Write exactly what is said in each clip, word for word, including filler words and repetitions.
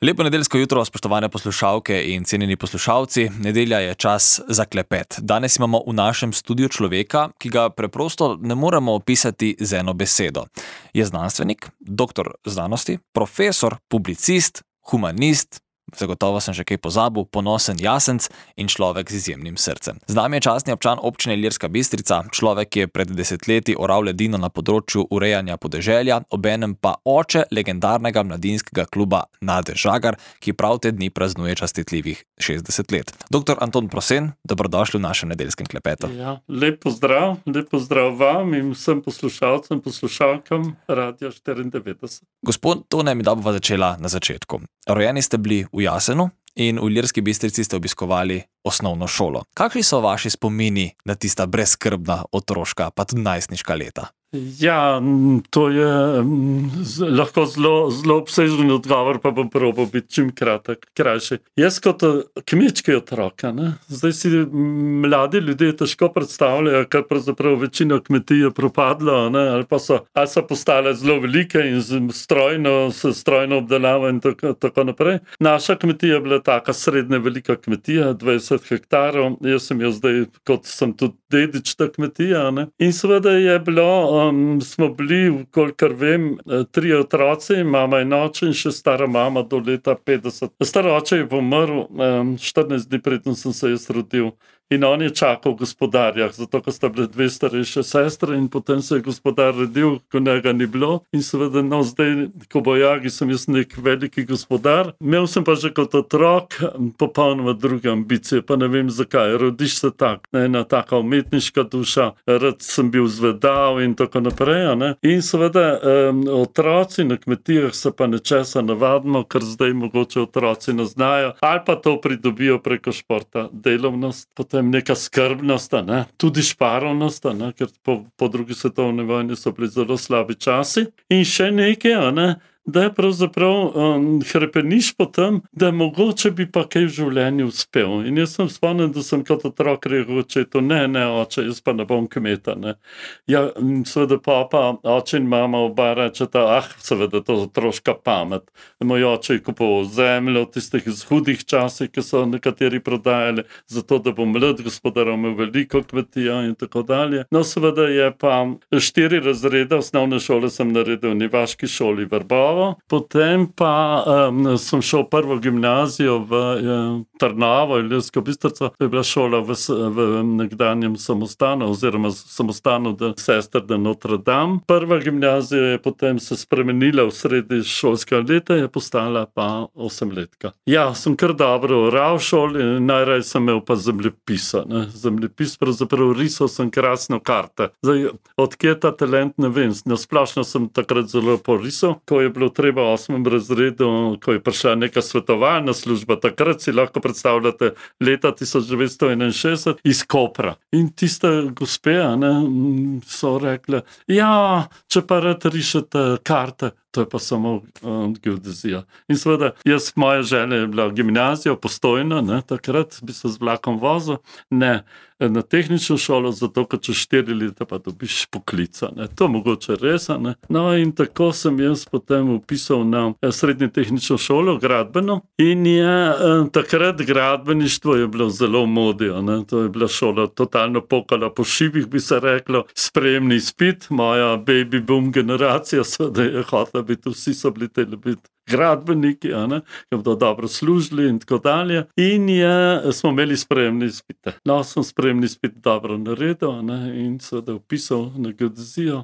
Lepo nedeljsko jutro, spoštovane poslušalke in cenjeni poslušalci. Nedelja je čas za klepet. Danes imamo v našem studiu človeka, ki ga preprosto ne moremo opisati z eno besedo. Je znanstvenik, doktor znanosti, profesor, publicist, humanist, zagotovo sem še kaj pozabil, ponosen jasenc in človek z izjemnim srcem. Z nami je častni občan občine Ilirska Bistrica, človek, ki je pred desetletji oral ledino na področju urejanja podeželja, obenem pa oče legendarnega mladinskega kluba Nade Žagar, ki prav te dni praznuje častitljivih šestdeset let. Doktor Anton Prosen, dobrodošli v našem nedeljskem klepetu. Ja, lep pozdrav, lep pozdrav vam in vsem poslušalcem, poslušalkam Radia štiriindevetdeset. Gospod Tone, mi da bova začela na začetku. Rojeni ste bili v Jasenu in v Ilirski Bistrici ste obiskovali osnovno šolo. Kakšni so vaši spomini na tista brezskrbna otroška, pa tudi najstniška leta? Ja, to je z, lahko zelo, zelo obsežen odgovor, pa bom probal biti čim kratek, krajši. Jaz kot kmečki otrok, ne? Zdaj si mladi ljudje težko predstavljajo, ker pravzaprav večina kmetij je propadlo, ne? Ali pa so, ali so postale zelo velike in strojno, s strojno obdelavo in tako, tako naprej. Naša kmetija je bila taka srednje velika kmetija, dvajset hektarov, jaz sem jo zdaj, kot sem tudi dedič ta kmetija, ne? In seveda je bilo Um, smo bili, kolikor vem, tri otroci, mama in oče in še stara mama do leta petdeset. Star oče je pomrl um, štirinajst dni preden sem se jaz rodil. In on je čakal v gospodarjah, zato ko sta bile dve starejše sestre in potem se je gospodar rodil, ko njega ni bilo. In seveda, no, zdaj, ko bojagi, sem jaz nek veliki gospodar. Imel sem pa že kot otrok popolnoma druge ambicije, pa ne vem zakaj. Rodiš se tak, ena taka umetniška duša, rad sem bil zvedav in tako naprej. Ne? In seveda, um, otroci na kmetijah se pa nečesa navadimo, ker zdaj mogoče otroci ne znajo, ali pa to pridobijo preko športa, delovnost, potem neka skrbnost, ne? Tudi šparovnost, ne? Ker po, po drugi svetovni vojni so bili zelo slabi časi. In še nekaj, ne? Da je pravzaprav um, hrepeniš po tem, da mogoče bi pa kaj v življenju uspel. In jaz sem spomnil, da sem kot otrok rekel očetu, ne, ne, oče, jaz pa ne bom kmeta. Ne. Ja, seveda papa, oče in mama oba rečeta, ah, seveda to je otroška pamet. Moj oče je kupoval zemljo v tistih hudih časih, ki so nekateri prodajali, zato da bo mlad gospodar imel veliko kmetija in tako dalje. No, seveda je pa štiri razrede osnovne šole sem naredil v Nivaški šoli Vrbova. Potem pa um, sem šel prvo gimnazijo v um, Trnavo, Ilirsko Bistrico. To je bila šola v, v nekdanjem samostanu, oziroma samostanu de sester de Notre Dame. Prva gimnazija je potem se spremenila v sredi šolskega leta, je postala pa osemletka. Ja, sem kar dobro oral v šoli, najraje sem imel pa zemljepisa. Ne? Zemljepis, pravzaprav risal sem krasno karte. Zdaj, odkje ta talent, ne vem, nasplošno sem takrat zelo porisal, ko je bilo treba v osmem razredu, ko je prišla neka svetovalna služba, takrat si lahko predstavljate leta tisoč devetsto enainšestdeset iz Kopra. In tiste gospe, ne, so rekle, ja, če pa rad rišete karte, to je pa samo um, geodezija. In seveda, jaz, moja želja je bila gimnazija, Postojna, ne, takrat bi se z vlakom vozil, ne, na tehnično šolo, zato ker čez štiri leta pa dobiš poklica. Ne. To mogoče res, ne. No in tako sem jaz potem upisal na srednje tehnično šolo, gradbeno, in je eh, takrat gradbeništvo je bilo zelo modijo, ne. To je bila šola totalno pokala po šivih, bi se reklo, sprejemni izpit, moja baby boom generacija, seveda je hotela biti, vsi so bili teli biti gradbeniki, ne, ki bodo dobro služili in tako dalje. In je, smo imeli sprejemne izpite. No, sem sprejemni izpit dobro naredil, ne, in seveda vpisal na geodezijo,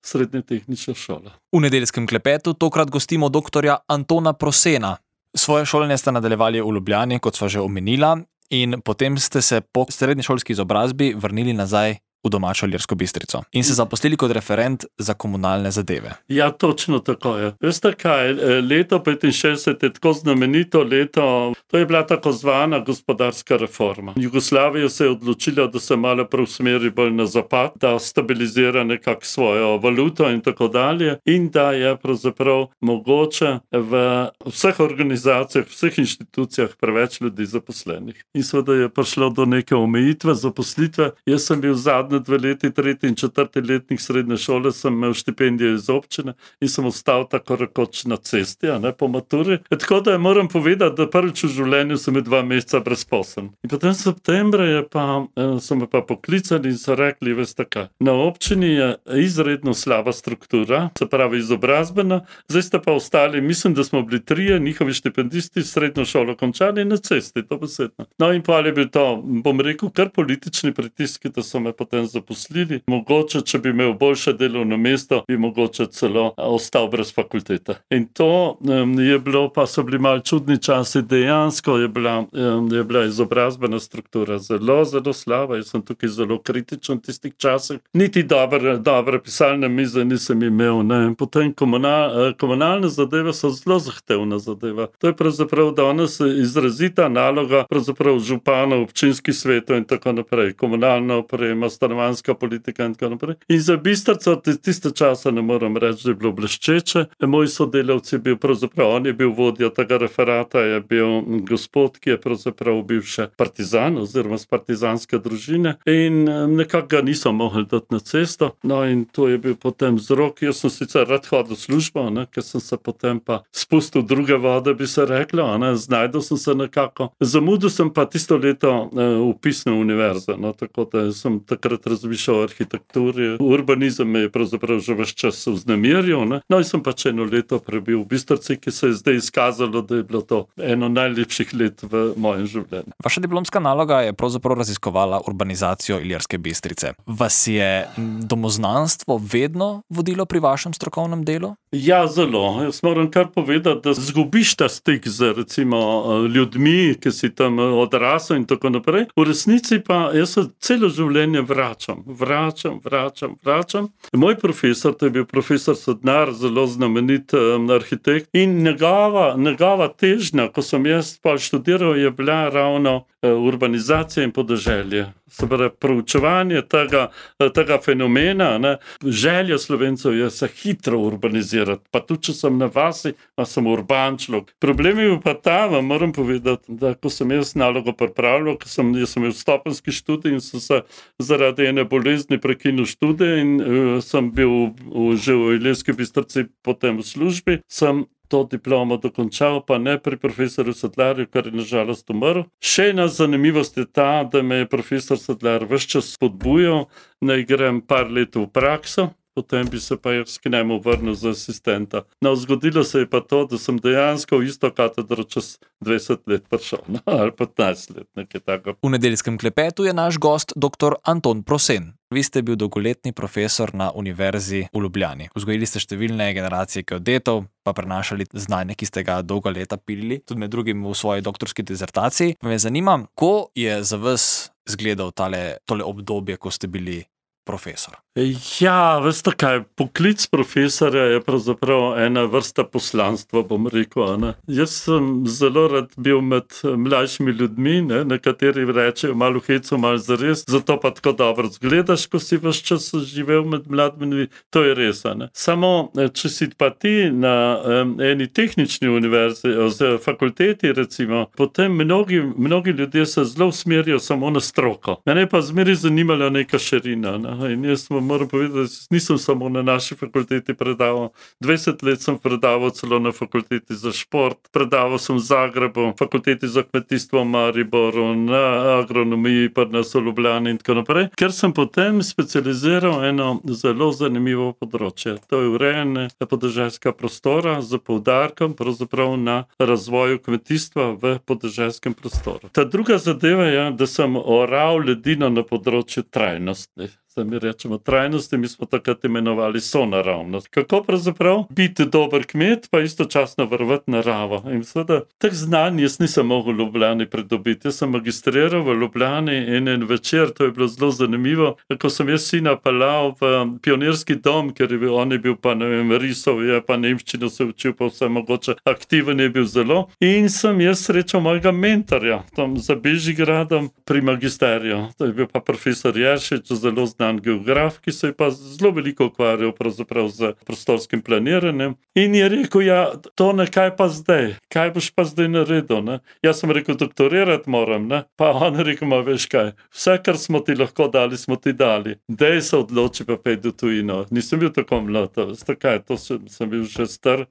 srednje tehnično šolo. V nedeljskem klepetu tokrat gostimo doktorja Antona Prosena. Svoje šolanje ste nadaljevali v Ljubljani, kot sva že omenila, in potem ste se po srednješolski izobrazbi vrnili nazaj v domačo Ilirsko Bistrico in se zaposlili kot referent za komunalne zadeve. Ja, točno tako je. Veste kaj, leto petinšestdeset je tako znamenito leto, to je bila tako zvana gospodarska reforma. Jugoslavija se je odločila, da se malo preusmeri bolj na zapad, da stabilizira nekako svojo valuto in tako dalje in da je pravzaprav mogoče v vseh organizacijah, vseh inštitucijah preveč ljudi zaposlenih. In seveda je prišlo do neke omejitve zaposlitve. Jaz sem bil zadnji zadnje dve leti, tretji in četrti letnik srednje šole, sem imel štipendijo iz občine in sem ostal tako rekoč na cesti, a ne po maturi. E, tako da moram povedati, da prvič v življenju sem dva meseca brezposeln. In potem septembra je pa, so me pa poklicali in so rekli, veste kaj, na občini je izredno slaba struktura, se pravi izobrazbena, zdaj ste pa ostali, mislim, da smo bili trije, njihovi štipendisti srednjo šolo končali na cesti, to besedno. No in pa je bil to, bom rekel, kar politični pritiski, da so me potem zaposlili. Mogoče, če bi imel boljše delovno mesto, bi mogoče celo ostal brez fakultete. In to um, je bilo, pa so bili malo čudni časi, dejansko je bila, um, je bila izobrazbena struktura zelo, zelo slaba. Jaz sem tukaj zelo kritičen v tistih časih. Niti dobre, dobre pisalne mize nisem imel. Ne. Potem komunal, komunalne zadeve so zelo zahtevna zadeva. To je pravzaprav danes izrazita naloga pravzaprav županov, občinskih svetov in tako naprej. Komunalna oprema, stanovanjska politika in tako naprej. In za Bistrico tiste časa ne moram reči, da je bilo bleščeče. Moj sodelavec je bil pravzaprav, on je bil vodja tega referata, je bil gospod, ki je pravzaprav bil še partizan oziroma z partizanske družine in nekako ga niso mogli dati na cesto. No in to je bil potem vzrok. Jaz sem sicer rad hodil v službo, ne, ker sem se potem pa spustil v druge vode, bi se reklo, ne, znajdel sem se nekako. Zamudil sem pa tisto leto vpis na univerzo, no, tako da sem takrat razmišljal o arhitekturi. Urbanizem me je pravzaprav že ves čas vznemirjal, ne. No in sem pač eno leto prebil v Bistrici, ki se je zdaj izkazalo, da je bilo to eno najlepših let v mojem življenju. Vaša diplomska naloga je pravzaprav raziskovala urbanizacijo Ilirske Bistrice. Vas je domoznanstvo vedno vodilo pri vašem strokovnem delu? Ja, zelo. Jaz moram kar povedati, da zgubiš ta stik z recimo ljudmi, ki si tam odrasel in tako naprej. V resnici pa jaz se celo življenje vračam, vračam, vračam, vračam. Moj profesor, to je bil profesor Sodnar, zelo znamenit um, arhitekt in njegova, njegova težnja, ko sem jaz pa študiral, je bila ravno urbanizacija in podeželje. Se pravi, proučevanje tega, tega fenomena, ne. Želja Slovencev je se hitro urbanizirati, pa tudi, če sem na vasi, pa sem urban človek. Problem je pa ta, vam moram povedati, da ko sem jaz nalogo pripravljal, ko sem, jaz sem imel stopenjski študij in sem se zaradi ene bolezni prekinil študij in uh, sem bil v, že v Ilirski Bistrici potem v službi, sem to diplomo dokončal, pa ne pri profesorju Sedlarju, kar je nažalost umrl. Še ena zanimivost je ta, da me je profesor Sedlar ves čas spodbujal, naj grem par let v prakso, potem bi se pa jaz k njemu vrnil za asistenta. No, zgodilo se je pa to, da sem dejansko v isto katedro čez dvajset let prišel, no, ali petnajst let, nekaj tako. V nedeljskem klepetu je naš gost doktor Anton Prosen. Vi ste bil dolgoletni profesor na Univerzi v Ljubljani. Vzgojili ste številne generacije geodetov, pa prenašali znanje, ki ste ga dolga leta pilili, tudi med drugim v svoji doktorski dizertaciji. Me zanima, ko je za vas izgledal tale, tole obdobje, ko ste bili profesor? Ja, veste kaj, poklic profesorja je pravzaprav ena vrsta poslanstva, bom rekel. Ne? Jaz sem zelo rad bil med mlajšimi ljudmi, ne? Nekateri rečejo malo heco, malo zares, zato pa tako dobro zgledaš, ko si ves čas živel med mladimi, to je res. Ne? Samo, če si pa ti na um, eni tehnični univerzi, oziroma fakulteti recimo, potem mnogi, mnogi ljudje se zelo usmerijo samo na stroko. Mene pa zmeri zanimala neka širina. Ne? In jaz moram povedati, da nisem samo na naši fakulteti predaval. dvajset let sem predaval celo na fakulteti za šport, predaval sem v Zagrebu, fakulteti za kmetijstvo v Mariboru, na agronomiji, pa na Ljubljani in tako naprej, ker sem potem specializiral eno zelo zanimivo področje. To je urejanje podeželskega prostora z poudarkom pravzaprav na razvoju kmetijstva v podeželskem prostoru. Ta druga zadeva je, da sem oral ledino na področju trajnosti. Mi rečemo trajnosti, mi smo takrat imenovali sonaravnost. Kako pravzaprav biti dober kmet, pa istočasno varovati naravo. In seveda, teh znanj jaz nisem mogel v Ljubljani pridobiti. Jaz sem magistriral v Ljubljani in en večer, to je bilo zelo zanimivo, ko sem jaz sina pelal v pionirski dom, ker je bil, on je bil pa, ne vem, risov, je pa nemščino se učil, pa vse mogoče, aktiven je bil zelo. In sem jaz srečal mojega mentorja, tam za Bežigradom pri magisteriju. To je bil pa profesor Jeršič, zelo znan znan geograf, ki se je pa zelo veliko ukvarjal pravzaprav z prostorskim planiranjem. In je rekel, ja, to ne, kaj pa zdaj? Kaj boš pa zdaj naredil? Ne? Jaz sem rekel, doktorirati moram, ne? Pa on je rekel, ma veš kaj, vse, kar smo ti lahko dali, smo ti dali. Dej se odloči, pa pej do tujino. Nisem bil tako mlad, veste kaj, to sem, sem bil že star,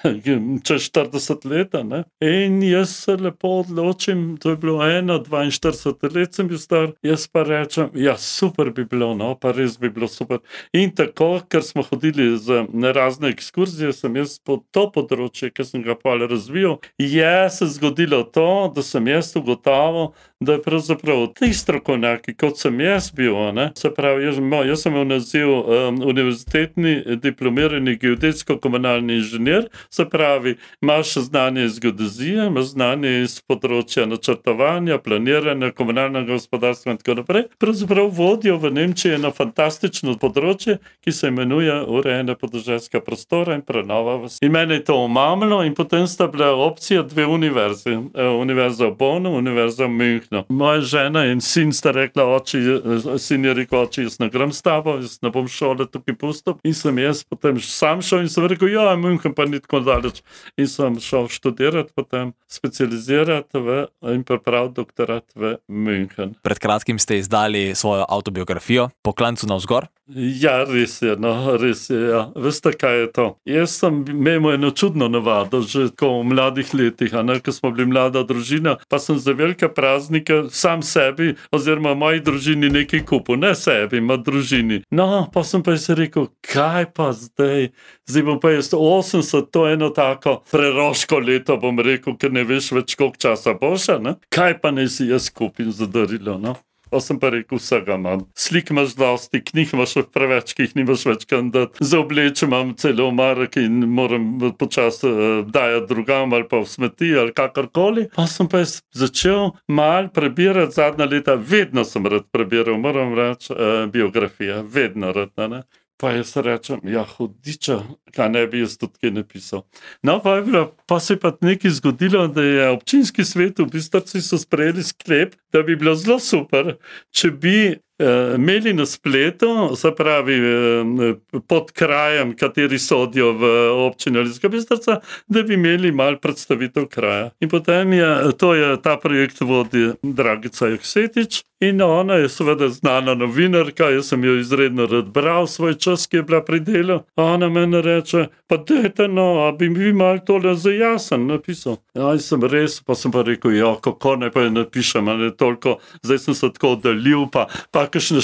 čez štirideset leta, ne? In jaz se lepo odločim, to je bilo eno, dvainštirideset let sem bil star, jaz pa rečem, ja, super bi bilo, no, pa res bi bilo super. In tako, ker smo hodili z razne ekskurzije, sem jaz po to področje, ki sem ga pa razvijal, je se zgodilo to, da sem jaz ugotavil, da je pravzaprav ti strokovnjaki, kot sem jaz bil, ne, se pravi, jaz, jaz sem imel naziv um, univerzitetni diplomirani geodetsko-komunalni inženir, se pravi, imaš znanje iz geodezije, imaš znanje iz področja načrtovanja, planiranja, komunalnega gospodarstva in tako naprej. Pravzaprav vodijo v Nemčiji eno fantastično področje, ki se imenuje urejanje podeželskega prostora in prenova vasi. In mene je to omamilo in potem sta bila opcija dve univerzi. Univerza v Bonnu, univerza v Münchenu. Moja žena in sin sta rekla, oči, sin je rekel, oči, jaz ne grem s tabo, jaz ne bom šole tukaj pustil. In sem jaz potem sam šel in sem rekel, ja, München pa ni tako daleč. In sem šel študirati, potem specializirati v, in pripraviti doktorat v München. Pred kratkim ste izdali svojo avtobiografijo Po klancu navzgor. Ja, res je, no, res je, ja. Veste, kaj je to? Jaz sem imel eno čudno navado, že tako v mladih letih, a ne, ko smo bili mlada družina, pa sem za velike praznike sam sebi, oziroma moji družini nekaj kupil, ne sebi, ma družini. No, pa sem pa jaz rekel, kaj pa zdaj? Zdaj bom pa jaz osemdeset, to je eno tako preroško leto, bom rekel, ker ne veš več, koliko časa boš, ne? Kaj pa ne si jaz kupim za darilo, no? Pa sem pa rekel, vsega imam. Slik imaš dosti, knjig imaš preveč, ki jih nimaš več kam dati. Za obleče imam celo omarek in moram počasi uh, dajati drugam ali pa v smeti ali kakorkoli. Pa sem pa začel mal prebirati zadnja leta. Vedno sem rad prebiral, moram reči, uh, biografija. Vedno rad, ne? Pa jaz rečem, ja, hudiča, kaj ne bi jaz tudi kaj napisal. No, pa, je bilo, pa se je pa nekaj zgodilo, da je občinski svet v Bistrici so sprejeli sklep, da bi bilo zelo super, če bi eh, imeli na spletu, se pravi eh, pod krajem, kateri sodijo v občini Ilirska Bistrica, da bi imeli mal predstavitev kraja. In potem je, to je, ta projekt vodi Dragica Joksetič, in ona je seveda znana novinarka, jaz sem jo izredno rad bral svoj čas, ki je bila pri delu. Ona meni reče, pa dajte no, a bi mi malo tole za jasen napisal. Ja, sem res, pa sem pa rekel, ja, kako ne pa napišem, ali toliko, zdaj sem se tako oddalil, pa, pa kakšne,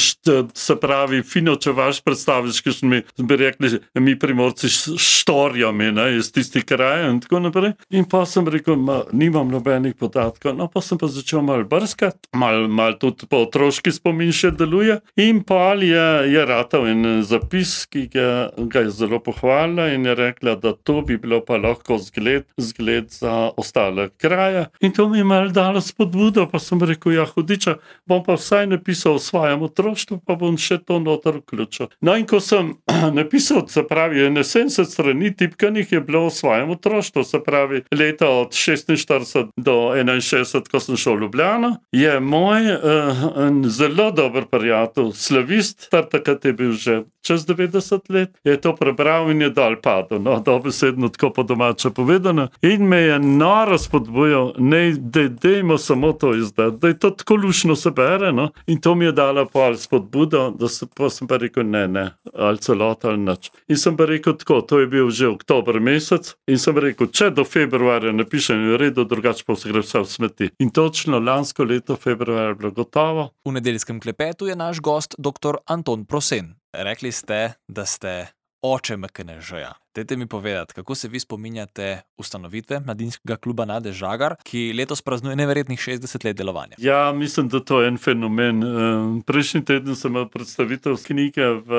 se pravi, fino, če vaš predstaviš, kakšne mi, bi rekli, mi primorci štorijo mi, ne, iz tistih krajev in tako naprej. In pa sem rekel, ma, nimam nobenih podatkov, no, pa sem pa začel malo brskati, malo mal tudi po otroški spomin še deluje in pa je, je ratal en zapis, ki ga, ga je zelo pohvalila in je rekla, da to bi bilo pa lahko zgled, zgled za ostale kraje. In to mi je malo dalo spodbudo, pa sem rekel, ja, hudiča, bom pa vsaj napisal o svojem otroštvu, pa bom še to noter vključil. No in ko sem napisal, se pravi, sedemdeset strani tipkanih je bilo o svojem otroštvu, se pravi, leta od šestinštirideset do enainšestdeset, ko sem šel v Ljubljano, je moj uh, en zelo dober prijatelj, slavist, tar takrat je bil že čez devetdeset let, je to prebral in je dol padel, no, dobesedno tako po domače povedano, in me je noro spodbujal, ne, da dejmo samo to izdati, da je to tako lušno se bere, no, in to mi je dala pol spodbudo, da se, pa sem pa rekel, ne, ne, ali celota ali nič. In sem pa rekel tako, to je bil že oktober mesec, in sem rekel, če do februarja napišem v redu, drugače pa se gre vse v smeti. In točno lansko leto februarja je bilo gotovo. V nedeljskem klepetu je naš gost doktor Anton Prosen. Rekli ste, da ste oče M K N Ž-ja. Dajte mi povedati, kako se vi spominjate ustanovitve Mladinskega kluba Nade Žagar, ki letos praznuje neverjetnih šestdeset let delovanja? Ja, mislim, da to je en fenomen. Prejšnji teden sem imel predstavitev knjige v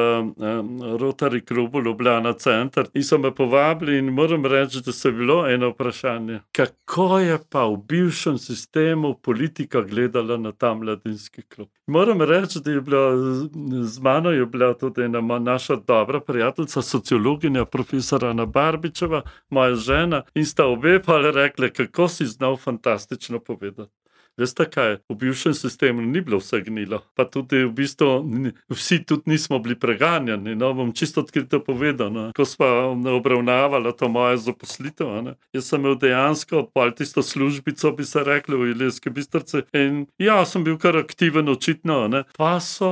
Rotary klubu Ljubljana Center in so me povabili in moram reči, da se je bilo eno vprašanje. Kako je pa v bivšem sistemu politika gledala na ta mladinski klub? Moram reči, da je bila, z mano je bila tudi ena naša dobra prijateljica, sociologinja, profesor Ana Barbičeva, moja žena, in sta obe pa rekli, kako si znal fantastično povedati. Veste kaj, v bivšem sistemu ni bilo vse gnilo, pa tudi v bistvu vsi tudi nismo bili preganjani, no, bom čisto odkrito povedal, no. Ko sva obravnavala to moje zaposlitev, ne. Jaz sem imel dejansko pol tisto službico, bi se rekli, v Ilirski Bistrici in ja, sem bil kar aktiven očitno, ne. Pa so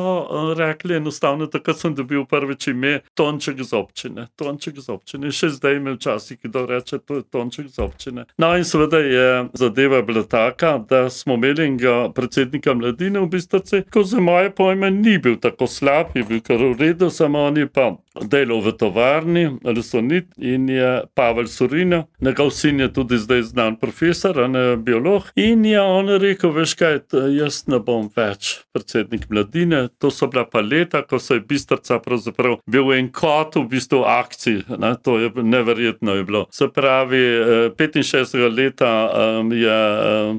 rekli enostavno, takrat sem dobil prvič ime Tonček z občine, Tonček z občine, še zdaj me včasih kdo reče, to je Tonček z občine. No in seveda je zadeva bila taka, da smo imeli enega predsednika mladine v Bistrici, ko za moje pojme ni bil tako slab, je bil kar v redu, samo on je pa delal v tovarni, Resonit, in je Pavel Surina, njegov sin je tudi zdaj znan profesor, ne biolog, in je on rekel, veš kaj, jaz ne bom več predsednik mladine, to so bila pa leta, ko se je Bistrica pravzaprav bil en kot v bistvu akcij, ne, to je neverjetno je bilo. Se pravi, petinšestdesetega leta je,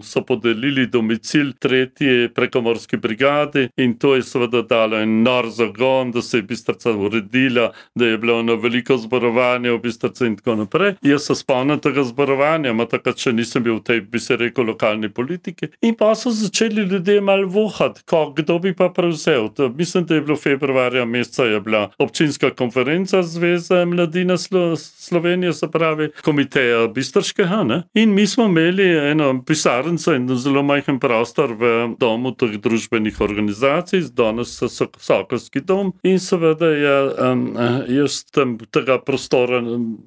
so podelili domicil tretji prekomorski brigadi in to je seveda dalo en nor zagon, da se je Bistrica uredila, da je bilo eno veliko zborovanje v Bistrici in tako naprej. Jaz se spomnim tega zborovanja, ma takrat še nisem bil v tej, bi se rekel, lokalni politiki. In pa so začeli ljudje malo vohati, ko, kdo bi pa prevzel. To, mislim, da je bilo februarja meseca je bila občinska konferenca Zveze mladine Slo- Slovenije, se pravi komiteja Bistriškega, ne? In mi smo imeli eno pisarnico in zelo majhen prostor v domu teh družbenih organizacij, danes so Sokolski dom in seveda je um, jaz tam tega prostora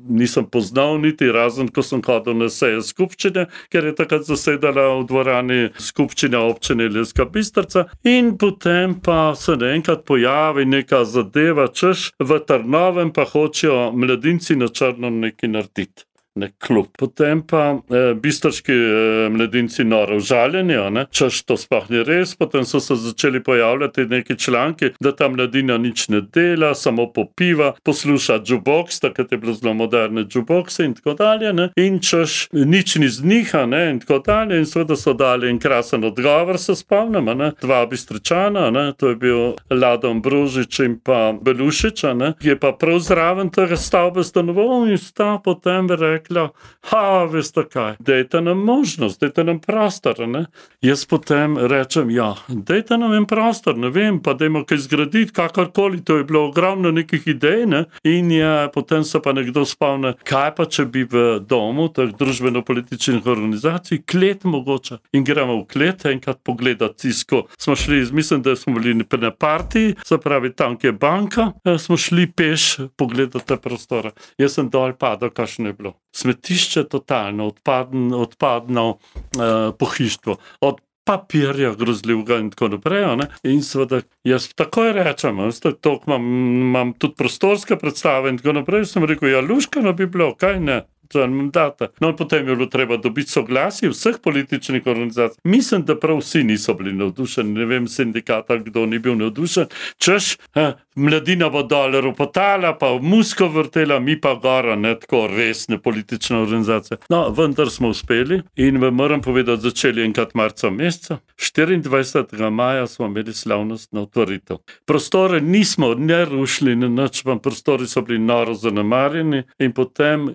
nisem poznal niti, razen ko sem hodil na seje skupščine, ker je takrat zasedala v dvorani skupščina občine Ilirska Bistrica in potem pa se naenkrat pojavi neka zadeva, češ v Trnovem pa hočejo mladinci na črno nekaj narediti. Nek klub. Potem pa eh, bistriški eh, mladinci noro užaljeni, češ to sploh ni res, potem so se začeli pojavljati neki članki, da ta mladina nič ne dela, samo popiva, posluša jukebox, takrat je bilo zelo moderne jukeboxe in tako dalje, ne? In češ nič ni z njih, ne? In tako dalje, in seveda so dali en krasen odgovor, se spomnim, ne? Dva Bistričana, ne? To je bil Ladom Brožič in pa Belušič, ne? Ki je pa prav zraven tega stavbe stanoval in sta potem rekel, ha, veste kaj, dajte nam možnost, dajte nam prostor, ne? Jaz potem rečem, ja, dajte nam en prostor, ne vem, pa dajmo kaj zgraditi, kakorkoli, to je bilo ogromno nekih idej, ne? In je, potem se pa nekdo spomne, kaj pa, če bi v domu teh družbeno-političnih organizacij klet mogoče. In gremo v klet, enkrat pogledati tisko. Smo šli, mislim, da smo bili na partiji, se pravi, tam, kje je banka, smo šli peš pogledati te prostore. Jaz sem dol padal, kakšno je bilo. Smetišče totalno, odpadno, odpadno uh, pohištvo, od papirja grozljivega in tako naprej, ne? In seveda jaz takoj rečem, to imam, imam tudi prostorske predstave in tako naprej, sem rekel, ja, luškano bi bilo, kaj ne? No, potem je bilo treba dobiti soglasje vseh političnih organizacij. Mislim, da prav vsi niso bili navdušeni, ne vem, sindikata, kdo ni bil navdušen. Češ, eh, mladina bo dol ropotala, pa v musko vrtela, mi pa gora, ne tako resne politične organizacije. No, vendar smo uspeli in vam moram povedati, začeli enkrat marca meseca. štiriindvajsetega maja smo imeli slavnostno otvoritev. Prostore nismo ne rušili, ne nič, pa prostori so bili noro zanemarjeni in potem uh,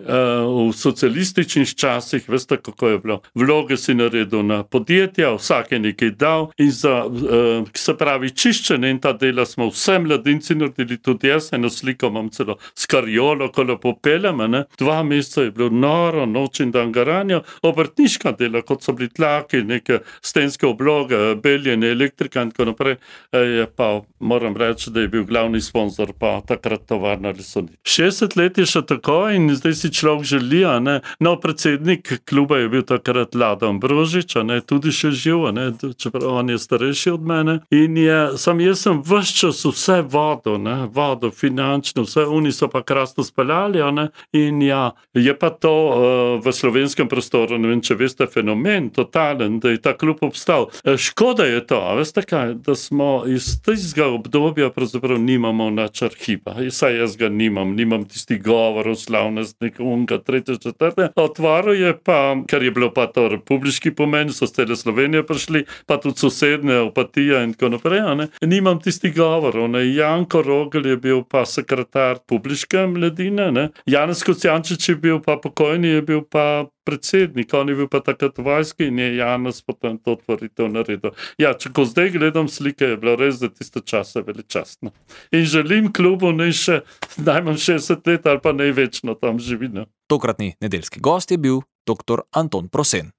v socialističnih časih, veste, kako je bilo. Vloge si naredil na podjetja, vsak je nekaj dal in za, uh, se pravi, čiščenje in ta dela smo vse mladinci naredili, tudi jaz, eno sliko imam celo s kariolo, ko lepo peljem, ne. Dva meseca je bilo noro, noč in dan garanja, obrtniška dela, kot so bili tlaki, neke stenske obloge, beljenje, elektrika in tako naprej, je pa, moram reči, da je bil glavni sponzor pa takrat tovarna Resonit. šestdeset let je še tako in zdaj si človek želi, ne. No, predsednik kluba je bil takrat Ladom Brožič, ne, tudi še živ, ne, čeprav on je starejši od mene. In je, sam jaz sem ves čas vse vodo, ne, vodo, finančno, vse, oni so pa krasno speljali, ne. In ja, je pa to uh, v slovenskem prostoru, ne vem, če veste, fenomen, totalen, da je ta klub obstal. Škoda je to, a veste kaj, da smo iz tistega obdobja pravzaprav nimamo nač arhiva. Saj jaz ga nimam, nimam tisti govorov, slavnostnik, unga, tretje, četrte. Otvoril je pa, ker je bilo pa to republiški pomen, so z cele Slovenije prišli, pa tudi sosedne, Opatija in tako naprej, ne. Nimam tisti govorov, ne. Janko Rogel je bil pa sekretar publiške mladine, ne. Janez Kocijančič je bil pa pokojni, je bil pa predsednik, on je bil pa takrat v vojski in je Janez potem to otvoritev naredil. Ja, če ko zdaj gledam slike, je bilo res za tiste čase veličastno. In želim klubu naj še najmanj šestdeset let ali pa največno tam živi. Tokratni nedeljski gost je bil doktor Anton Prosen.